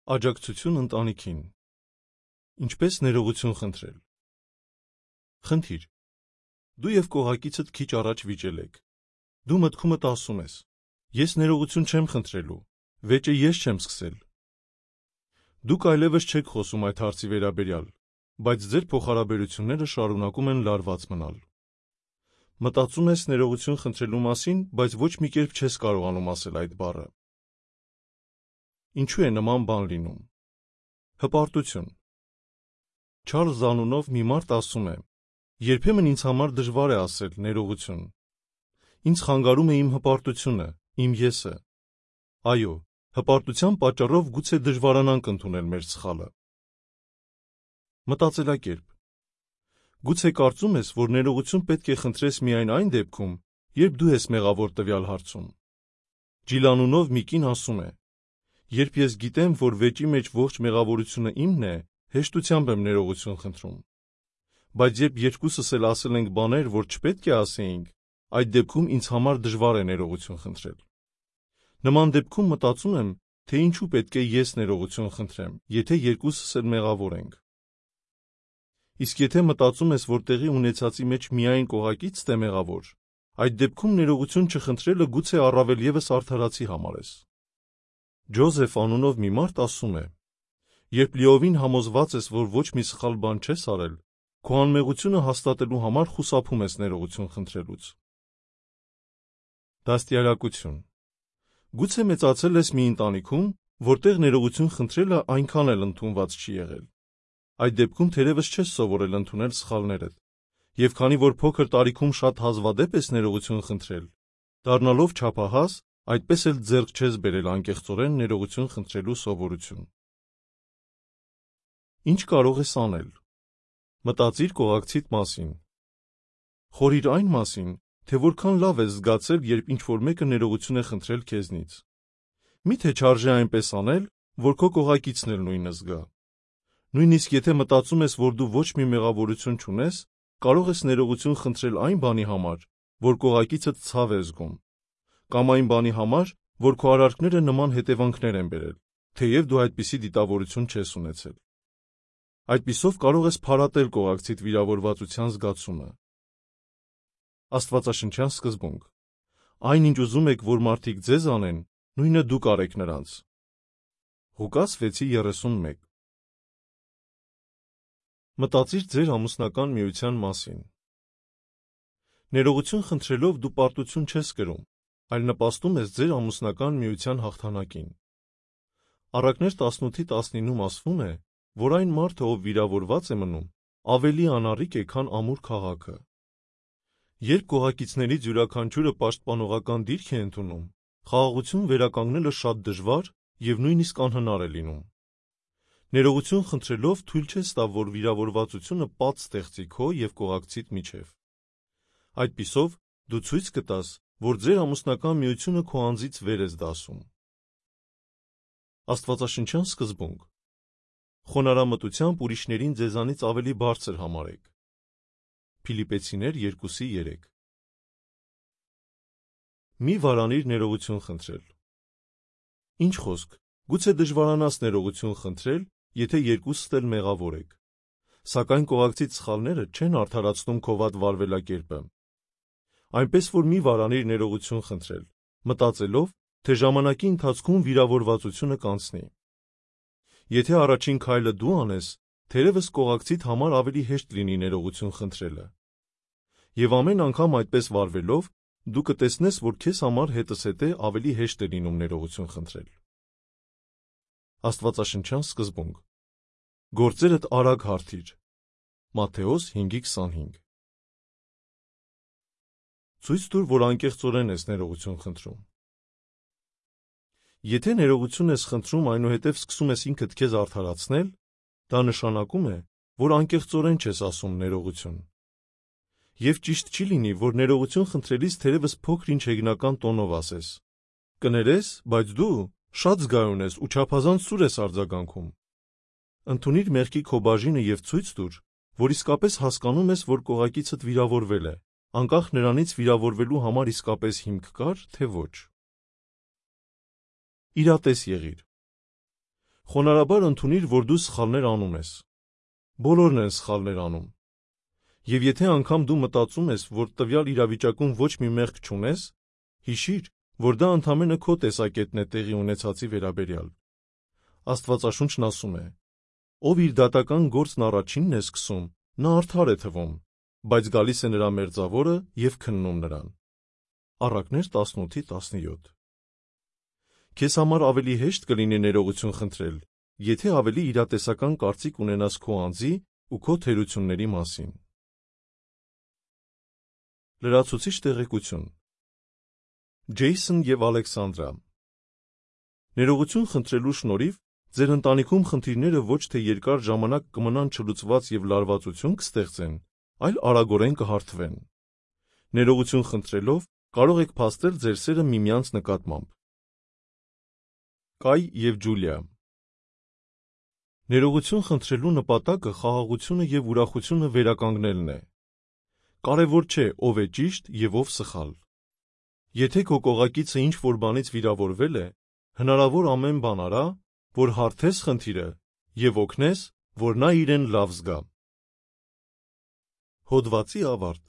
Աջակցություն ընտանիքին։ Ինչպես ներողություն խնդրել։ Խնդիր. դու և կողակիցդ քիչ առաջ վիճել եք։ Դու մտքումդ ասում ես. ես ներողություն չեմ խնդրելու, վեճը ես չեմ սկսել։ Դուք այլևս չեք խոսում այդ հարցի վերաբերյալ, բայց ձեր փոխհարաբերությունները շարունակում են լարված մնալ։ Մտածում ես ներողություն խնդրելու մասին, բայց ոչ մի կերպ չես կարողանում ասել այդ բառը։ Ինչու է նման բան լինում։ Հպարտություն։ Չարլզ անունով մի մարդ ասում է. երբեմն ինձ համար դժվար է ասել ներողություն։ Ինձ խանգարում է իմ հպարտությունը, իմ եսը։ Այո, հպարտության պատճառով գուցե դժվարանանք ընդունել մեր սխալը։ Մտածելակերպ։ Գուցե կարծում ես, որ ներողություն պետք է խնդրես միայն այն դեպքում, երբ դու ես մեղավոր տվյալ հարցում։ Ջիլ անունով մի կին ասում է. երբ ես գիտեմ, որ վեճի մեջ ողջ մեղավորությունը իմն է, հեշտությամբ եմ ներողություն խնդրում։ Բայց երբ երկուսս էլ ասել ենք բաներ, որ չպետք է ասեինք, այդ դեպքում ինձ համար դժվար է ներողություն խնդրել։ Նման դեպքում մտածում եմ, թե ինչու պետք է ես ներողություն խնդրեմ, եթե երկուսս էլ մեղավոր ենք։ Իսկ եթե մտածում ես, որ տեղի ունեցածի մեջ միայն կողակիցդ է մեղավոր, այդ դեպքում ներողություն չխնդրելը գուցե առավել ևս արդարացի համարես։ Ջոզեֆ անունով մի մարդ ասում է. երբ լիովին համոզված ես, որ ոչ մի սխալ բան չես արել, քո անմեղությունը հաստատելու համար խուսափում ես ներողություն խնդրելուց։ Դաստիարակություն։ Գուցե մեծացել ես մի ընտանիքում, որտեղ ներողություն խնդրելը այնքան էլ ընդունված չի եղել։ Այդ դեպքում թերևս չես սովորել ընդունել սխալներդ, և քանի որ փոքր տարիքում շատ հազվադեպ ես ներողություն խնդրել, դառնալով չափահաս, այդպես էլ ձեռք չես բերել անկեղծորեն ներողություն խնդրելու սովորություն։ Ինչ կարող ես անել։ Մտածիր կողակցիդ մասին։ Խորհիր այն մասին, թե որքան լավ ես զգացել, երբ ինչ-որ մեկը ներողություն է խնդրել քեզնից։ Մի՞թե չարժե այնպես անել, որ քո կողակիցն էլ նույնը զգա։ Նույնիսկ եթե մտածում ես, որ դու ոչ մի մեղավորություն չունես, կարող ես ներողություն խնդրել այն բանի համար, որ կողակիցդ ցավ է զգում, կամ այն բանի համար, որ քո արարքները նման հետևանքներ են բերել, թեև դու այդպիսի դիտավորություն չես ունեցել։ Այդպիսով կարող ես փարատել կողակցիդ վիրավորվածության զգացումը։ Աստվածաշնչյան սկզբունք. այն ինչ ուզում եք, որ մարդիկ ձեզ անեն, նույնը դուք արեք նրանց։ Ղուկաս 6:31։ Մտածիր ձեր ամուսնական միության մասին։ Ներողություն խնդրելով դու պարտություն չես կրում, այլ նպաստում ես ձեր ամուսնական միության հաղթանակին։ Առակներ 18:19-ում ասվում է, որ այն մարդը, ով վիրավորված է մնում, ավելի անառիկ է, քան ամուր քաղաքը։ Երբ կողակիցներից յուրաքանչյուրը պաշտպանողական դիրք է ընդունում, խաղաղություն վերականգնելը շատ դժվար և նույնիսկ անհնար է լինում։ Ներողություն խնդրելով թույլ չես տա, որ վիրավորվածությունը պատ ստեղծի քո և կողակցիդ միջև։ Այդպիսով դու ցույց կտաս, որ ձեր ամուսնական միությունը քո անձից վեր ես դասում։ Աստվածաշնչյան սկզբունք. խոնարհամտությամբ ուրիշներին ձեզանից ավելի բարձր համարեք։ Փիլիպպեցիներ 2:3։ Մի վարանիր ներողություն խնդրել։ Ինչ խոսք, գուցե դժվարանաս ներողություն խնդրել, եթե երկուսդ էլ մեղավոր եք։ Սակայն կողակցիդ սխալները չեն արդարացնում քո վատ վարվելակերպը։ Այնպես որ մի վարանիր ներողություն խնդրել, մտածելով, թե ժամանակի ընթացքում վիրավորվածությունը կանցնի։ Եթե առաջին քայլը դու անես, թերևս կողակցիդ համար ավելի հեշտ լինի ներողություն խնդրելը։ Եվ ամեն անգամ այդպես վարվելով, դու կտեսնես, որ քեզ համար հետզհետե ավելի հեշտ է լինում ներողություն խնդրել։ Աստվածաշնչյան սկզբունք. գործերդ արագ հարթիր։ Մատթեոս 5:25։ Ցույց տուր, որ անկեղծորեն ես ներողություն խնդրում։ Եթե ներողություն ես խնդրում, այնուհետև սկսում ես ինքդ քեզ արդարացնել, դա նշանակում է, որ անկեղծորեն չես ասում ներողություն։ Եվ ճիշտ չի լինի, որ ներողություն խնդրելիս թերևս փոքր-ինչ հեգնական տոնով ասես. կներես, բայց դու շատ զգայուն ես ու չափազանց սուր ես արձագանքում։ Ընդունիր մեղքի քո բաժինը և ցույց տուր, որ իսկապես հասկանում ես, որ կողակիցդ վիրավորվել է, անկախ նրանից վիրավորվելու համար իսկապես հիմք կար, թե ոչ։ Իրատես եղիր։ Խոնարհաբար ընդունիր, որ դու սխալներ անում ես։ Բոլորն են սխալներ անում։ Եվ եթե անգամ դու մտածում ես, որ տվյալ իրավիճակում ոչ մի մեղք չունես, հիշիր, որ դա ընդամենը քո տեսակետն է տեղի ունեցածի վերաբերյալ։ Աստվածաշունչն ասում է. ով իր դատական գործն առաջինն է սկսում, նա արդար է թվում, բայց գալիս է նրա մերձավորը և քննում նրան։ Առակներ 18-17 Քեզ համար ավելի հեշտ կլինի ներողություն խնդրել, եթե ավելի իրատեսական կարծիք ունենաս քո անձի ու քո թերությունների մասին։ Լրացուցիչ տեղեկություն Ջեյսոն և Ալեքսանդրա Ներողություն խնդրելու շնորհիվ ձեր ընտանիքում խնդիրները ոչ թե երկար ժամանակ կմնան չլուծված և լարվածություն կստեղծեն, այլ արագորեն կհարթվեն։ Ներողություն խնդրելով կարող եք փաստել ձեր սերը միմյանց նկատմամբ։ Կայ և Ջուլիա Ներողություն խնդրելու նպատակը խաղաղությունը և ուրախությունը վերականգնելն է։ Կարևոր չէ ով է ճիշտ և ով սխալ։ Եթե քո կողակիցը ինչ-որ բանից վիրավորվել է, հնարավոր ամեն բան արա, որ հարթես խնդիրը և օգնես, որ նա իրեն լավ զգա։ Հոդվացի ավարտ